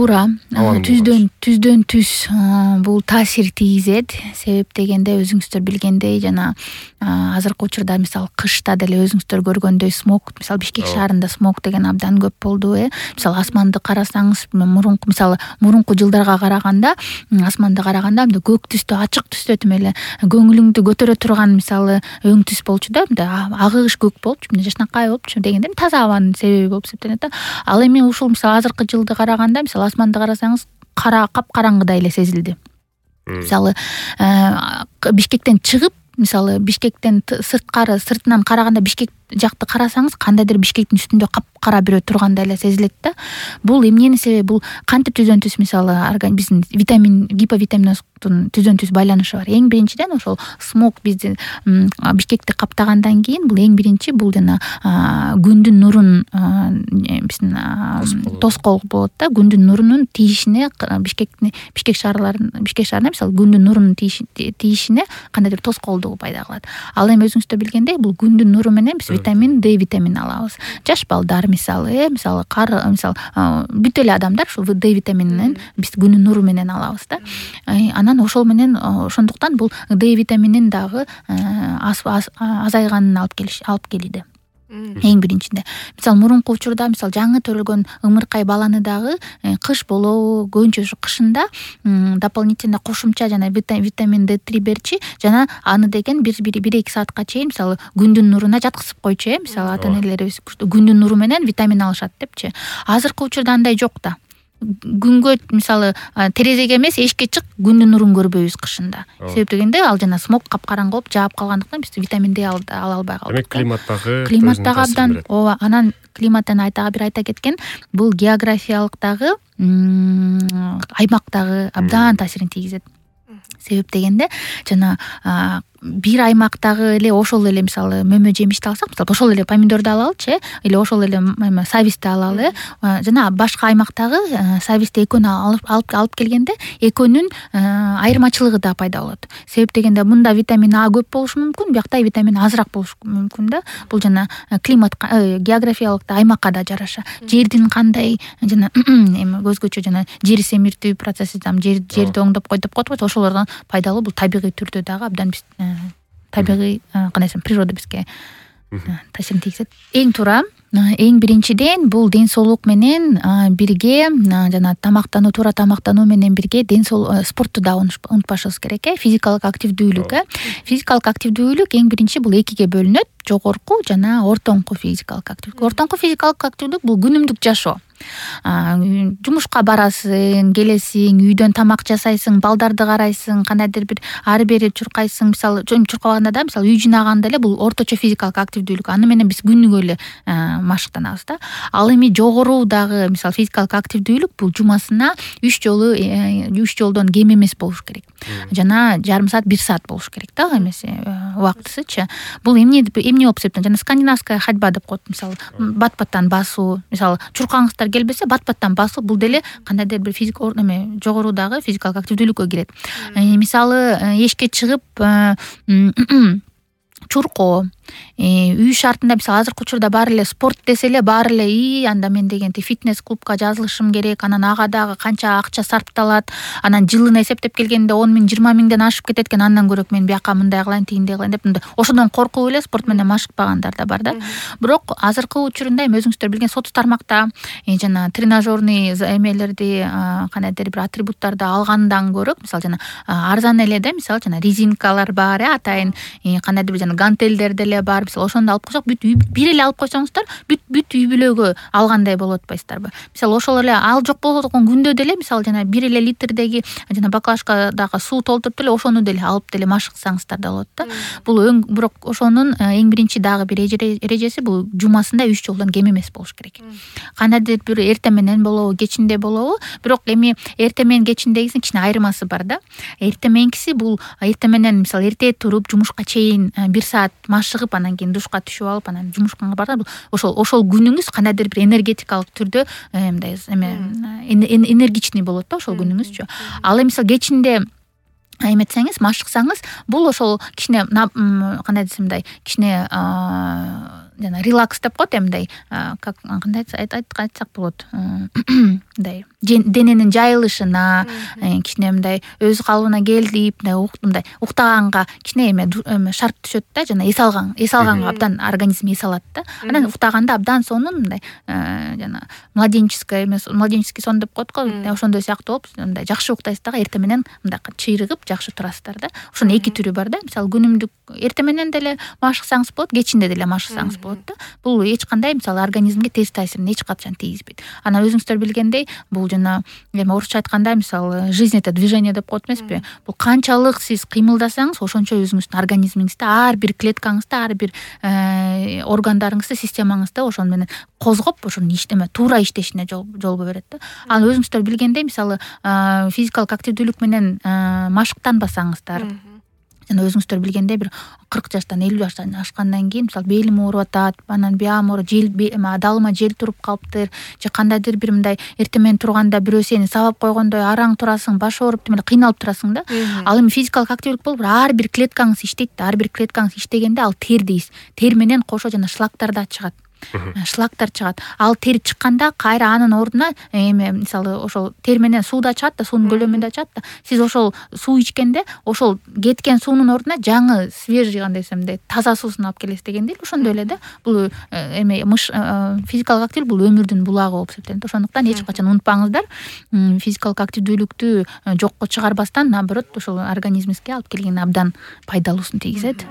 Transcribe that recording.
туура. Түздөн түз бул таасир тийгизет. Себеп дегенде өзүңүздөр билгендей жана азыркы учурда мисалы кышта деле өзүңүздөр көргөндөй смог, мисалы Бишкек шаарында смог деген абдан көп болду. Мисалы асманды карасаңыз, мурунку жылдарга караганда асманды караганда мындай көк түстө, ачык түстө тим эле көңүлүңдү көтөрө турган мисалы өң түс болчу да, мындай агыгыш көк болчу, мындай жашнакай болчу дегенде таза абанын себеби болуп эсептелет да. Ал эми ушул мисалы азыркы жылды караганда мисалы асманды карасаңыз капкараңгыдай эле сезилди. Мисалы Бишкектен чыгып, мисалы Бишкектен сыртынан караганда Бишкек жакты карасаңыз кандайдыр Бишкектин үстүндө капкара бирөө тургандай эле сезилет да. Бул эмненин себеби? Бул кантип түзөн түз мисалы биздин витамин, гиповитаминоздун түзөн түз байланышы бар. Эң биринчиден ошол смог бизди Бишкекти каптагандан кийин бул эң биринчи бул жана күндүн нурун биздин тоскоол болот да. Күндүн нурунун тийишине Бишкек шаарына мисалы күндүн нурунун тийишине кандайдыр тоскоолдугу пайда кылат. Ал эми өзүңүздөр билгендей бул күндүн нуру менен биз витамин D витаминин алабыз. Жаш балдар мисалы бүт эле адамдар ушул D витаминин биз күндүн нуру менен алабыз да. Анан ошол менен ошондуктан бул D витаминин дагы азайганын алып келди. Эң биринчиде. Мисалы мурунку учурда мисалы жаңы төрөлгөн ымыркай баланы дагы кыш болобу, көбүнчө ушу кышында дополнительно кошумча жана витамин D3 берчи жана аны деген 1-2 саатка чейин мисалы күндүн нуруна жаткызып койчу. Мисалы ата-энелерибиз күндүн нуру менен витамин алышат депчи. Азыркы учурда андай жок да. Күнгө мисалы терезеге эмес эшикке чык, күндүн нурун көрбөйбүз кышында. Себеп дегенде ал жана смог капкараңгы болуп жаап калгандыктан биз витамин D ала албай калдык. Демек климаттагы абдан ооба. Анан климаттан айта кеткен бул географиялык дагы аймактагы абдан таасирин тийгизет. Себеп дегенде жана бир аймактагы эле ошол эле мисалы мөмө жемишти алсак, мисалы ошол эле помидорду алалычы, или ошол эле сабизди алалы, жана башка аймактагы сабизди экөөнү алып келгенде экөөнүн айырмачылыгы да пайда болот. Себеп дегенде мында витамин А көп болушу мүмкүн, биякта витамин азыраак болушу мүмкүн да. Бул жана климатка, географиялык аймакка да жараша. Жердин кандай жана эми өзгөчө жана жер семиртүү процесси, жерди оңдоп коет деп коет, ошолордон пайдалуу. Бул табигый түрдө дагы абдан табигый кандай десем, природа бизге таасирин тийгизет. Эң туура. Эң биринчиден бул ден соолук менен бирге жана туура тамактануу менен бирге спортту да унутпашыбыз керек. Физикалык активдүүлүк. Физикалык активдүүлүк эң биринчи бул экиге бөлүнөт: жогорку жана ортоңку физикалык активдүүлүк. Ортоңку физикалык активдүүлүк бул күнүмдүк жашоо. Жумушка барасың, келесиң, үйдөн тамак жасайсың, балдарды карайсың, кандайдыр бир ары бери чуркайсың. Мисалы чуркабаганда да, мисалы үй жыйнаганда эле бул орточо физикалык активдүүлүк. Аны менен биз күнүгө эле машыктанабыз да. Ал эми жогору дагы мисалы физикалык активдүүлүк бул жумасына 3 жолдон кем эмес болуш керек. Жана жарым саат, 1 саат болуш керек да, эмес убактысычы. Бул эмне болуп эсептелет? Жана скандинавская ходьба деп коет. Мисалы бат-баттан басуу, мисалы чуркаңыздар келбесе бат-баттан басуу, бул деле кандайдыр бир жогорудагы физикалык активдүүлүккө кирет. Мисалы эшикке чыгып чуркоо, үй шартында мисалы азыркы учурда баары эле спорт десе эле баары эле анда мен дегенде фитнес клубка жазылышым керек, анан ага дагы канча акча сарпталат, анан жылына эсептеп келгенде 10 000, 20 000ден ашып кетет экен, андан көрөк мен бияка мындай кылайын, тигиндей кылайын деп ошодон коркуп эле спорт менен машыкпагандар да бар да. Бирок азыркы учурунда эми өзүңүздөр билген соц тармакта жана тренажерный эмелерди, кандайдыр бир атрибуттарды алгандан көрөк, мисалы жана арзан эле да, мисалы жана резинкалар бар, атайын кандайдыр бир жана гантелдер деле бар. Мисалы ошондо алып койсок, бир эле алып койсоңуздар, бүт үй бүлөгө алгандай болуп атпайсыздарбы? Мисалы ошол эле ал жок болгон күндө деле мисалы жана 1 литрдеги жана баклажкадагы суу толтуруп деле ошону деле алып деле машыксаңыздар да болот да. Бул бирок ошонун эң биринчи дагы бир эрежеси бул жумасында 3 жолдон кем эмес болуш керек. Кандайдыр бир эртең менен болобу, кечинде болобу, бирок эми эртең менен кечиндегисинин кичине айырмасы бар да. Эртең мененкиси бул эртең менен мисалы эрте туруп жумушка чейин 1 саат машыгып, анан кийин душка түшүп алып, анан жумушка барып, ошол күнүңүз кандайдыр бир энергетикалык түрдө мындай энергичный болот да ошол күнүңүзчү. Ал эми мисалы кечинде эметсеңиз, машыксаңыз, бул ошол кичине кандай десем мындай кичине жана релакс деп коет мындай как кандай айтсак болот, мындай дененин жайылышына кичине мындай өз калыбына келип мындай уктаганга кичине эме шарт түшөт да, жана эс алганга абдан организм эс алат да. Анан уктаганда абдан сонун мындай жана младенческий сон деп коет го, ошондой сыяктуу болуп мындай жакшы уктайсыз дагы эртең менен мындай чыйрыгып жакшы турасыздар да. Ошонун эки түрү бар да. Мисалы күнүмдүк эртең менен деле машыксаңыз болот, кечинде деле машыксаңыз болот да. Бул эч кандай мисалы организмге терс таасирин эч качан тийгизбейт. Анан өзүңүздөр билгендей, бул жана эме орусча айтканда мисалы жизнь это движение деп коет эмеспи? Бул канчалык сиз кыймылдасаңыз, ошончо өзүңүздүн организмиңизде ар бир клеткаңызда, ар бир органдарыңызда, системаңызда ошону менен козгоп, ошонун туура иштешине жолго берет да. Ал өзүңүздөр билгендей, мисалы физикалык активдүүлүк менен машыктанбасаңыздар, жана өзүңүздөр билгендей бир 40 жаштан 50 жаштан ашкандан кийин мисалы белим ооруп атат, анан биям ооруп, далыма жел туруп калыптыр, же кандайдыр бир мындай эртең менен турганда бирөө сени сабап койгондой араң турасың, баш ооруп демеле кыйналып турасың да. Ал эми физикалык активдүүлүк болуп ар бир клеткаңыз иштейт да, ар бир клеткаңыз иштегенде ал тер дейсиз. Тер менен кошо жана шлактар да чыгат. Шлактар чыгат. Ал тер чыкканда кайра анын ордуна эме мисалы ошол тер менен суу да чыгат да, суунун көлөмү да чыгат да. Сиз ошол суу ичкенде ошол кеткен суунун ордуна жаңы свежий кандай десем мындай таза суусун алып келесиз дегендей эле. Ошондой эле да. Бул эме физикалык активдүүлүк бул өмүрдүн булагы болуп эсептелет. Ошондуктан эч качан унутпаңыздар, физикалык активдүүлүктү жокко чыгарбастан, наоборот, ошол организмибизге алып келген абдан пайдалуусун тийгизет.